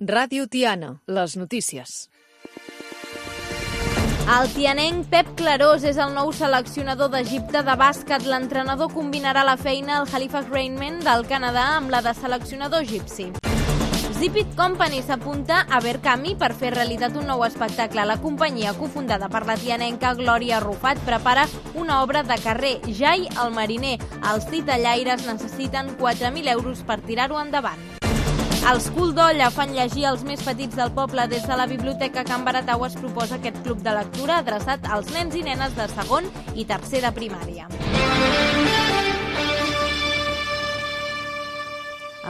Ràdio Tiana, les notícies. El tianenc Pep Clarós és el nou seleccionador d'Egipte de bàsquet. L'entrenador combinarà la feina al Halifax Rainmen del Canadà amb la de seleccionador egipci. Zipit Company s'apunta a Verkami per fer realitat un nou espectacle. La companyia, cofundada per la tianenca Glòria Rufat, prepara una obra de carrer, Jai el mariner. Els titellaires necessiten 4.000 euros per tirar-ho endavant. Els Cul d'Olla fan llegir als més petits del poble. Des de la Biblioteca Can Baratau es proposa aquest club de lectura adreçat als nens i nenes de segon i tercer de primària.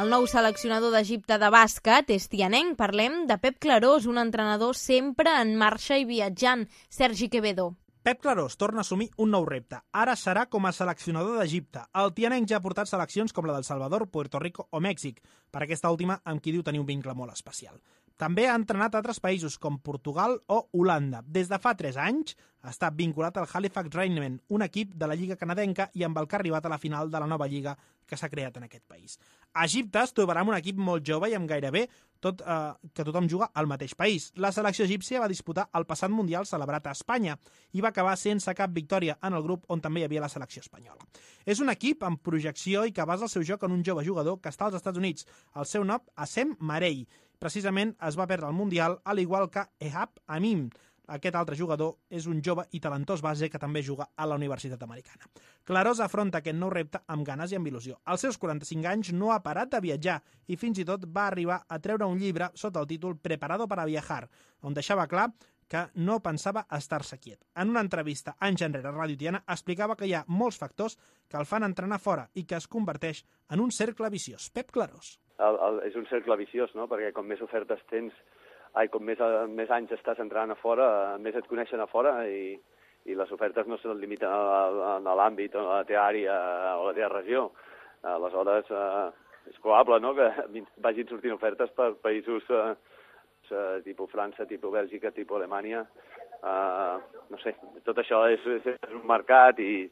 El nou seleccionador d'Egipte de bàsquet és tianenc. Parlem de Pep Clarós, un entrenador sempre en marxa i viatjant. Sergi Quevedo. Pep Clarós torna a assumir un nou repte. Ara serà com a seleccionador d'Egipte. El tianenc ja ha portat seleccions com la del Salvador, Puerto Rico o Mèxic, per aquesta última amb qui diu tenir un vincle molt especial. També ha entrenat altres països com Portugal o Holanda. Des de fa 3 anys està vinculat al Halifax Rainmen, un equip de la Lliga canadenca i amb el que ha arribat a la final de la nova lliga que s'ha creat en aquest país. A Egipte es trobarà amb un equip molt jove i amb gairebé que tothom juga al mateix país. La selecció egípcia va disputar el passat Mundial celebrat a Espanya i va acabar sense cap victòria en el grup on també hi havia la selecció espanyola. És un equip amb projecció i que basa el seu joc en un jove jugador que està als Estats Units. El seu nom, Assem Marei. Precisament es va perdre el Mundial, al igual que Ehab Amim. Aquest altre jugador és un jove i talentós base que també juga a la Universitat Americana. Clarós afronta aquest nou repte amb ganes i amb il·lusió. Als seus 45 anys no ha parat de viatjar i fins i tot va arribar a treure un llibre sota el títol Preparado para viajar, on deixava clar que no pensava estar-se quiet. En una entrevista anys enrere a Ràdio Tiana explicava que hi ha molts factors que el fan entrenar fora i que es converteix en un cercle viciós. Pep Clarós. És un cercle viciós, no? Perquè com més ofertes tens, com més anys estàs entrant a fora, més et coneixen a fora i les ofertes no se limiten a l'àmbit, a la teva àrea o a la teva regió. Aleshores, és probable, no?, que vagin sortint ofertes per països tipus França, tipus Bèlgica, tipus Alemanya. No sé, tot això és un mercat i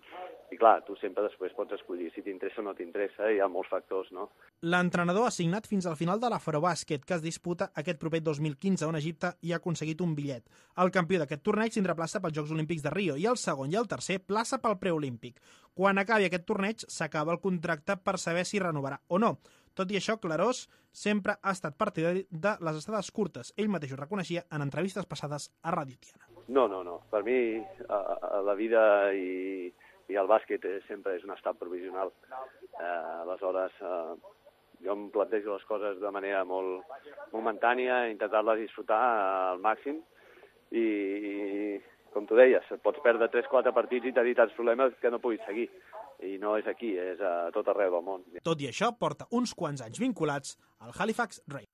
clar, tu sempre després pots escollir si t'interessa o no t'interessa, hi ha molts factors, no? L'entrenador ha signat fins al final de l'Afrobàsquet, que es disputa aquest proper 2015 on Egipte hi ha aconseguit un bitllet. El campió d'aquest torneig tindrà plaça pels Jocs Olímpics de Rio i el segon i el tercer plaça pel preolímpic. Quan acabi aquest torneig s'acaba el contracte per saber si renovarà o no. Tot i això, Clarós sempre ha estat partidari de les estades curtes. Ell mateix ho reconeixia en entrevistes passades a Ràdio Tiana. No. Per mi, la vida i el bàsquet sempre és un estat provisional. Aleshores, jo em plantejo les coses de manera molt momentània, intentar-les disfrutar al màxim i com tu deies, pots perdre 3-4 partits i tenir tants problemes que no puguis seguir. I no és aquí, és a tot arreu del món. Tot i això, porta uns quants anys vinculats al Halifax Rainmen.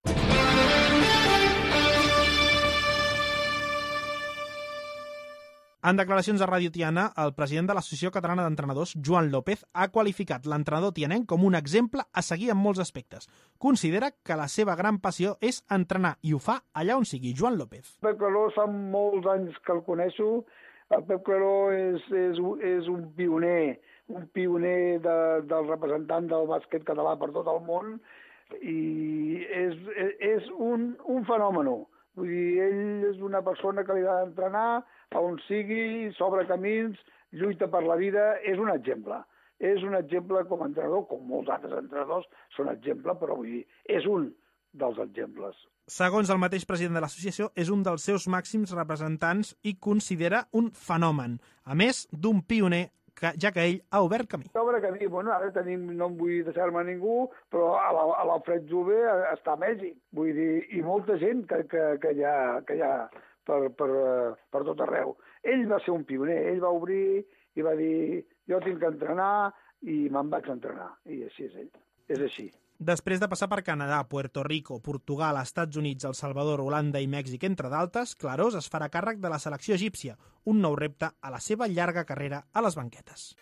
En declaracions a Ràdio Tiana, el president de l'Associació Catalana d'Entrenadors, Joan López, ha qualificat l'entrenador tianenc com un exemple a seguir en molts aspectes. Considera que la seva gran passió és entrenar i ho fa allà on sigui. Joan López. Pep Clarós fa molts anys que el coneixo. El Pep Clarós és un pioner del representant del bàsquet català per tot el món i és un fenomen. Vull dir, ell és una persona que li ha d'entrenar a on sigui, s'obre camins, lluita per la vida, és un exemple. És un exemple com a entrenador, com molts altres entrenadors són exemple, però vull dir, és un dels exemples. Segons el mateix president de l'associació, és un dels seus màxims representants i considera un fenomen, a més d'un pioner, ja que ell ha obert camí. Obre camí, ara tenim, no em vull deixar-me a ningú, però a l'Alfred Jove està a Mèxic, vull dir, i molta gent que hi ha per tot arreu. Ell va ser un pioner, ell va obrir i va dir, jo tinc que entrenar i me'n vaig entrenar, i així és ell, és així. Després de passar per Canadà, Puerto Rico, Portugal, Estats Units, El Salvador, Holanda i Mèxic, entre d'altres, Clarós es farà càrrec de la selecció egípcia, un nou repte a la seva llarga carrera a les banquetes.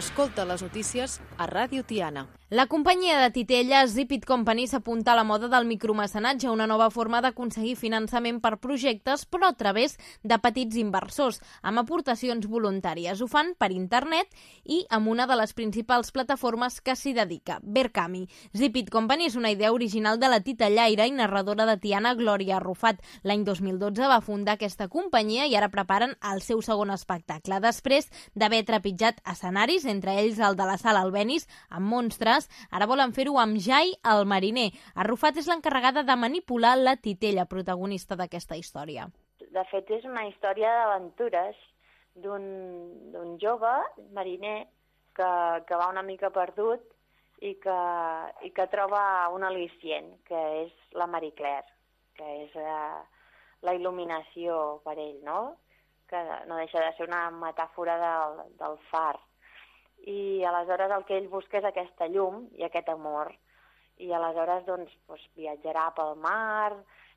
Escolta les notícies a Ràdio Tiana. La companyia de titelles Zip It Company s'apunta a la moda del micromecenatge, una nova forma d'aconseguir finançament per projectes, però a través de petits inversors, amb aportacions voluntàries. Ho fan per internet i amb una de les principals plataformes que s'hi dedica, Verkami. Zip It Company és una idea original de la titellaire i narradora de Tiana, Glòria Arrufat. L'any 2012 va fundar aquesta companyia i ara preparen el seu segon espectacle. Després d'haver trepitjat escenaris, entre ells el de la Sala Albéniz, amb monstres, ara volen fer-ho amb Jai, el mariner. Arrufat és l'encarregada de manipular la titella, protagonista d'aquesta història. De fet, és una història d'aventures d'un jove mariner que va una mica perdut i que troba un al·licient, que és la Marie Claire, que és la il·luminació per ell, no? Que no deixa de ser una metàfora del far. I aleshores el que ell busca és aquesta llum i aquest amor. I aleshores doncs, viatjarà pel mar,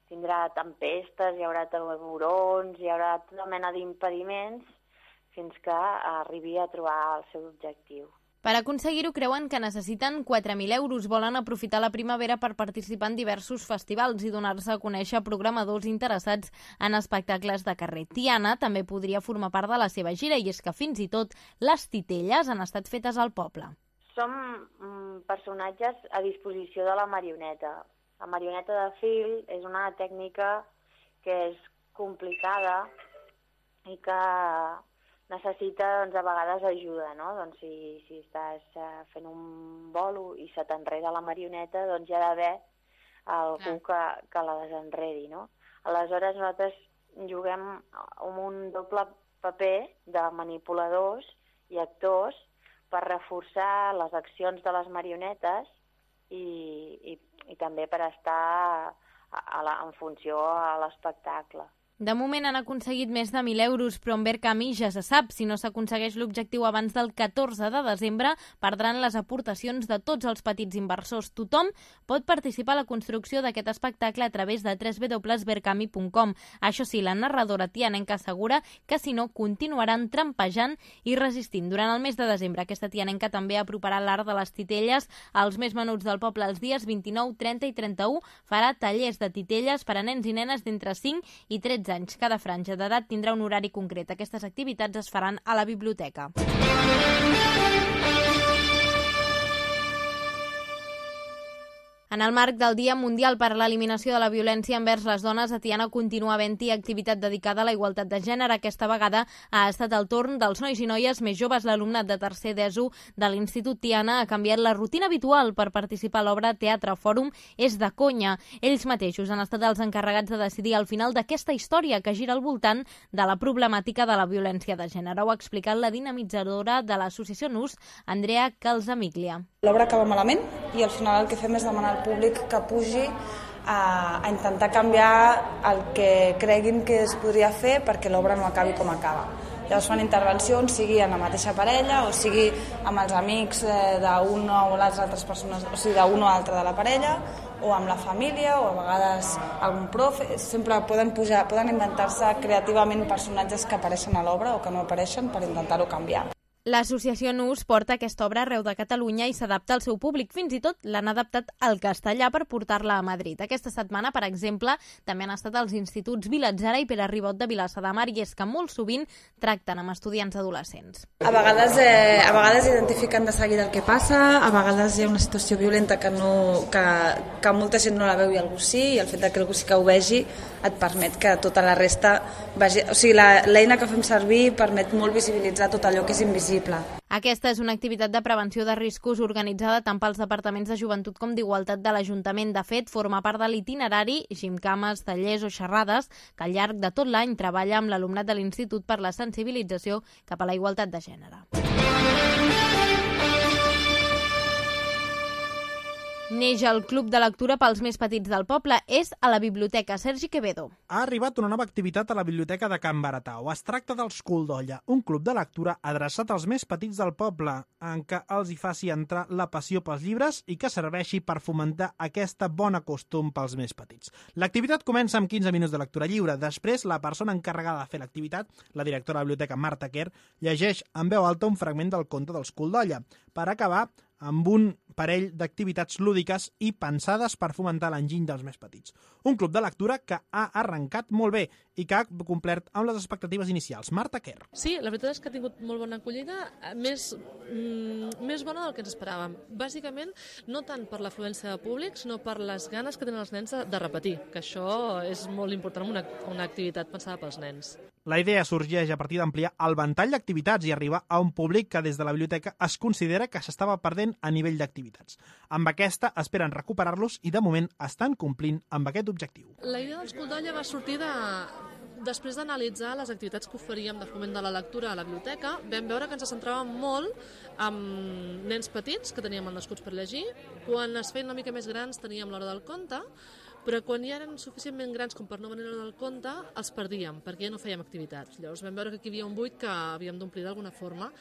tindrà tempestes, hi haurà taurons, hi haurà tota mena d'impediments fins que arribi a trobar el seu objectiu. Per aconseguir-ho creuen que necessiten 4.000 euros. Volen aprofitar la primavera per participar en diversos festivals i donar-se a conèixer a programadors interessats en espectacles de carrer. Tiana també podria formar part de la seva gira i és que fins i tot les titelles han estat fetes al poble. Som personatges a disposició de la marioneta. La marioneta de fil és una tècnica que és complicada i que necessita, a vegades, ajuda, no? Doncs si estàs fent un bolo i se t'enreda la marioneta, doncs hi ha d'haver algú que la desenredi, no? Aleshores, nosaltres juguem amb un doble paper de manipuladors i actors per reforçar les accions de les marionetes i també per estar en funció a l'espectacle. De moment han aconseguit més de 1.000 euros, però en Verkami ja se sap. Si no s'aconsegueix l'objectiu abans del 14 de desembre, perdran les aportacions de tots els petits inversors. Tothom pot participar a la construcció d'aquest espectacle a través de www.verkami.com. Això sí, la narradora tianenca assegura que si no, continuaran trampejant i resistint. Durant el mes de desembre, aquesta tianenca també aproparà l'art de les titelles als més menuts del poble els dies 29, 30 i 31. Farà tallers de titelles per a nens i nenes d'entre 5 i 13 anys. Cada franja d'edat tindrà un horari concret. Aquestes activitats es faran a la biblioteca. En el marc del Dia Mundial per a l'Eliminació de la Violència envers les dones, a Tiana continua havent-hi activitat dedicada a la igualtat de gènere. Aquesta vegada ha estat el torn dels nois i noies més joves. L'alumnat de tercer d'ESO de l'Institut Tiana ha canviat la rutina habitual per participar a l'obra Teatre Fòrum És de conya. Ells mateixos han estat els encarregats de decidir al final d'aquesta història que gira al voltant de la problemàtica de la violència de gènere. Ho ha explicat la dinamitzadora de l'associació NUS, Andrea Calzamiglia. L'obra acaba malament i al final el que fem és demanar al públic que pugi a intentar canviar el que creguin que es podria fer perquè l'obra no acabi com acaba. Llavors fan intervencions, sigui en la mateixa parella o sigui amb els amics d'una o les altres persones, o sigui d'un o altre de la parella, o amb la família, o a vegades algun profe. Sempre poden inventar-se creativament personatges que apareixen a l'obra o que no apareixen per intentar-ho canviar. L'associació NUS porta aquesta obra arreu de Catalunya i s'adapta al seu públic. Fins i tot l'han adaptat al castellà per portar-la a Madrid. Aquesta setmana, per exemple, també han estat els instituts Vilatzara i Pere Ribot de Vilassar de Mar i és que molt sovint tracten amb estudiants adolescents. A vegades identifiquen de seguida el que passa, a vegades hi ha una situació violenta que molta gent no la veu i algú sí, i el fet que algú sí que ho vegi et permet que tota la resta vegi. O sigui, l'eina que fem servir permet molt visibilitzar tot allò que és invisible. Aquesta és una activitat de prevenció de riscos organitzada tant pels departaments de joventut com d'igualtat de l'Ajuntament. De fet, forma part de l'itinerari, gimcames, tallers o xerrades que al llarg de tot l'any treballa amb l'alumnat de l'Institut per la sensibilització cap a la igualtat de gènere. Neix el Club de Lectura pels més petits del poble. És a la Biblioteca Sergi Quevedo. Ha arribat una nova activitat a la Biblioteca de Can Baratau. Es tracta dels Coldolla, un club de lectura adreçat als més petits del poble, en què els hi faci entrar la passió pels llibres i que serveixi per fomentar aquesta bona costum pels més petits. L'activitat comença amb 15 minuts de lectura lliure. Després, la persona encarregada de fer l'activitat, la directora de la biblioteca Marta Quer, llegeix en veu alta un fragment del conte dels Coldolla, per acabar amb un parell d'activitats lúdiques i pensades per fomentar l'enginy dels més petits. Un club de lectura que ha arrencat molt bé i que ha complert amb les expectatives inicials. Marta Quer. Sí, la veritat és que ha tingut molt bona acollida, més bona del que ens esperàvem. Bàsicament, no tant per l'afluència de públic, sinó per les ganes que tenen els nens de repetir, que això és molt important en una activitat pensada pels nens. La idea sorgeix a partir d'ampliar el ventall d'activitats i arribar a un públic que des de la biblioteca es considera que s'estava perdent a nivell d'activitats. Amb aquesta esperen recuperar-los i de moment estan complint amb aquest objectiu. La idea dels Coldolla va sortir després d'analitzar les activitats que oferíem de foment de la lectura a la biblioteca. Vam veure que ens centràvem molt amb nens petits que teníem el Nascuts per llegir. Quan es feien una mica més grans teníem l'hora del conte, però quan ja eren suficientment grans com per no venir a l'hora del conte, els perdíem, perquè ja no fèiem activitats. Llavors vam veure que aquí hi havia un buit que havíem d'omplir d'alguna forma.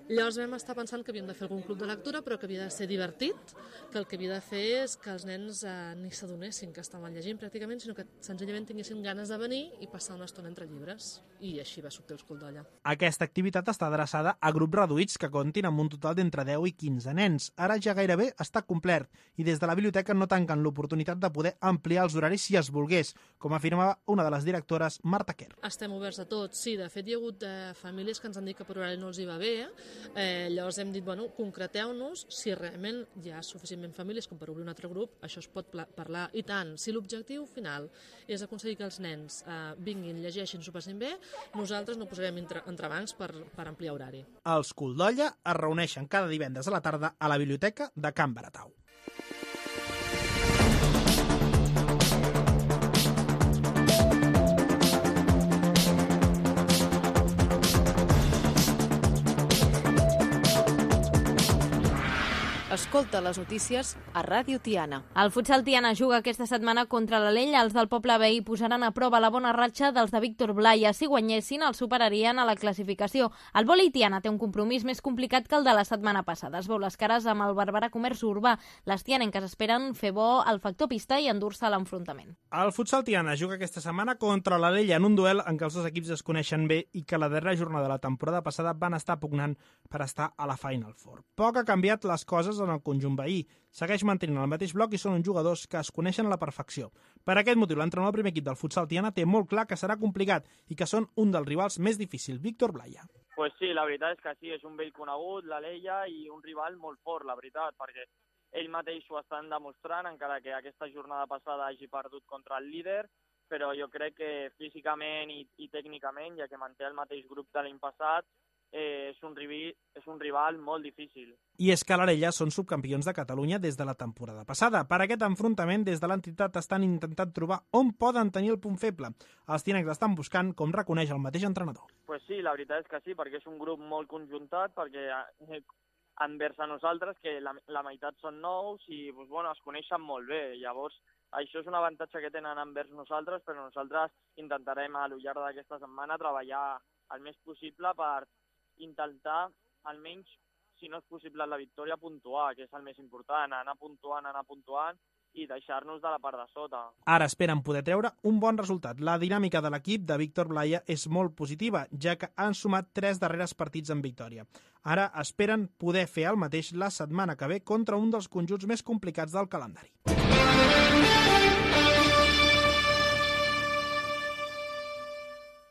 Llavors vam estar pensant que havíem de fer algun club de lectura, però que havia de ser divertit, que el que havia de fer és que els nens ni s'adonessin que estaven llegint pràcticament, sinó que senzillament tinguessin ganes de venir i passar una estona entre llibres. I així va sortir els Coldolla. Aquesta activitat està adreçada a grups reduïts que comptin amb un total d'entre 10 i 15 nens. Ara ja gairebé està complert i des de la biblioteca no tanquen l'oportunitat de poder ampliar els horaris si es volgués, com afirmava una de les directores, Marta Quer. Estem oberts a tot, sí. De fet, hi ha hagut famílies que ens han dit que per horari no els hi va bé. Llavors hem dit, concreteu-nos si realment hi ha suficientment famílies com per obrir un altre grup, això es pot parlar. I tant, si l'objectiu final és aconseguir que els nens vinguin, llegeixin, s'ho passin bé, nosaltres no posarem entrebancs per ampliar horari. Els Coldolla es reuneixen cada divendres a la tarda a la biblioteca de Can Baratau. Escolta les notícies a Ràdio Tiana. El futsal Tiana juga aquesta setmana contra l'Alella. Els del poble veí posaran a prova la bona ratxa dels de Víctor Blaya. Si guanyessin, els superarien a la classificació. El vòlei Tiana té un compromís més complicat que el de la setmana passada. Es veu les cares amb el Barberà Comerç Urbà. Les tianenques esperen fer bo el factor pista i endur-se a l'enfrontament. El futsal Tiana juga aquesta setmana contra l'Alella en un duel en què els dos equips es coneixen bé i que la darrera jornada de la temporada passada van estar pugnant per estar a la Final Four. Poc ha canviat les coses en el conjunt veí. Segueix mantenint el mateix bloc i són uns jugadors que es coneixen a la perfecció. Per aquest motiu, l'entrenador del primer equip del futsal Tiana té molt clar que serà complicat i que són un dels rivals més difícils, Víctor Blaya. Pues sí, la veritat és que sí, és un vell conegut, l'Alella, i un rival molt fort, la veritat, perquè ell mateix ho estan demostrant, encara que aquesta jornada passada hagi perdut contra el líder, però jo crec que físicament i tècnicament, ja que manté el mateix grup de l'any passat, és un rival molt difícil. I és que l'Arella són subcampions de Catalunya des de la temporada passada. Per aquest enfrontament, des de l'entitat estan intentant trobar on poden tenir el punt feble. Els tianencs estan buscant, com reconeix el mateix entrenador. Pues sí, la veritat és que sí, perquè és un grup molt conjuntat, perquè envers a nosaltres, que la meitat són nous i es coneixen molt bé. Llavors, això és un avantatge que tenen envers nosaltres, però nosaltres intentarem a lo llarg d'aquesta setmana treballar el més possible per intentar, almenys, si no és possible la victòria, puntuar, que és el més important, anar puntuant i deixar-nos de la part de sota. Ara esperen poder treure un bon resultat. La dinàmica de l'equip de Víctor Blaya és molt positiva, ja que han sumat 3 darreres partits en victòria. Ara esperen poder fer el mateix la setmana que ve contra un dels conjunts més complicats del calendari.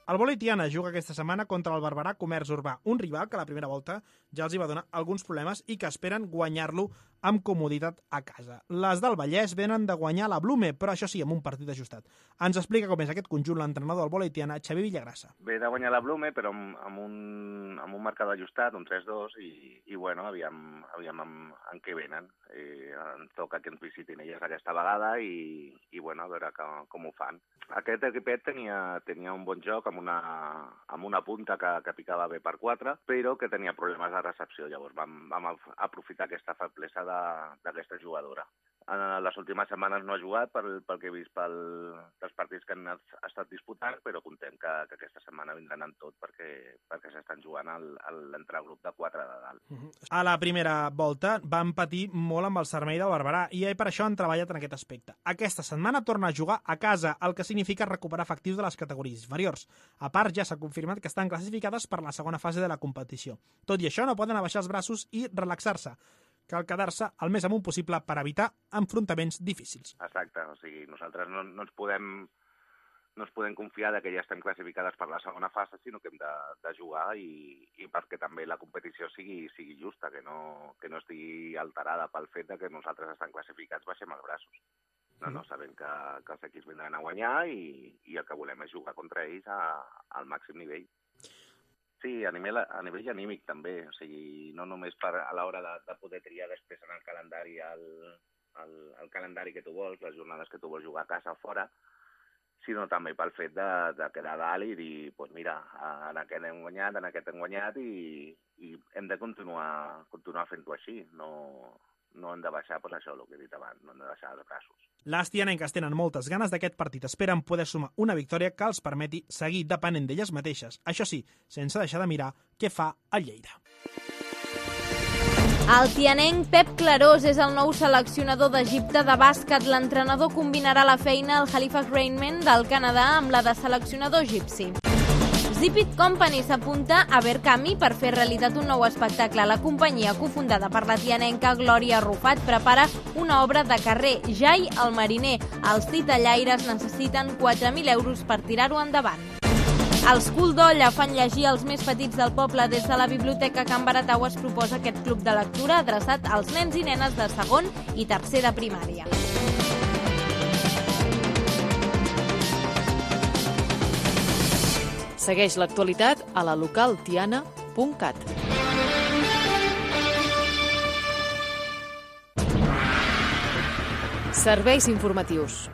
El vòlei Tiana juga aquesta setmana contra el Barberà Comerç Urbà, un rival que a la primera volta ja els hi va donar alguns problemes i que esperen guanyar-lo amb comoditat a casa. Les del Vallès venen de guanyar la Blume, però això sí, amb un partit ajustat. Ens explica com és aquest conjunt l'entrenador del vòlei Tiana, Xavier Villagrassa. Ve de guanyar la Blume, però amb un marcador ajustat, un 3-2, i aviam en què venen. Ens toca que ens visitin elles aquesta vegada i a veure com ho fan. Aquest equipet tenia un bon joc amb una punta que picava bé per 4, però que tenia problemes de recepció. Llavors vam aprofitar aquesta feblesa d'aquesta jugadora. En les últimes setmanes no ha jugat pel que he vist dels partits que han estat disputant, però contem que aquesta setmana vindran amb tot perquè s'estan jugant l'entregrup de 4 de dalt. A la primera volta van patir molt amb el Sarmell del Barberà i per això han treballat en aquest aspecte. Aquesta setmana torna a jugar a casa, el que significa recuperar efectius de les categories inferiors. A part, ja s'ha confirmat que estan classificades per la segona fase de la competició. Tot i això, no poden abaixar els braços i relaxar-se. Cal quedar-se el més amunt possible per evitar enfrontaments difícils. Exacte, o sigui, nosaltres no ens podem confiar que ja estem classificades per la segona fase, sinó que hem de jugar i perquè també la competició sigui justa, que no estigui alterada pel fet que nosaltres estem classificats baixem els braços. No, sabem que els equips vindran a guanyar i el que volem és jugar contra ells al màxim nivell. Sí, a nivell anímic també, o sigui, no només a l'hora de poder triar després en el calendari el calendari que tu vols, les jornades que tu vols jugar a casa o fora, sinó també pel fet de quedar dalt i dir, doncs mira, en aquest hem guanyat, en aquest hem guanyat i hem de continuar fent-ho així, no hem de baixar, doncs això, el que he dit abans, no hem de baixar els braços. Les tianenques tenen moltes ganes d'aquest partit. Esperen poder sumar una victòria que els permeti seguir depenent d'elles mateixes. Això sí, sense deixar de mirar què fa el Lleida. El tianenc Pep Clarós és el nou seleccionador d'Egipte de bàsquet. L'entrenador combinarà la feina al Halifax Rainmen del Canadà amb la de seleccionador egipci. Zipit Company s'apunta a Verkami per fer realitat un nou espectacle. La companyia, cofundada per la tianenca Glòria Rufat, prepara una obra de carrer, Jai el mariner. Els titellaires necessiten 4.000 euros per tirar-ho endavant. Els Cul d'Olla fan llegir als més petits del poble. Des de la Biblioteca Can Baratau es proposa aquest club de lectura adreçat als nens i nenes de segon i tercer de primària. Segueix l'actualitat a la localtiana.cat. Serveis informatius.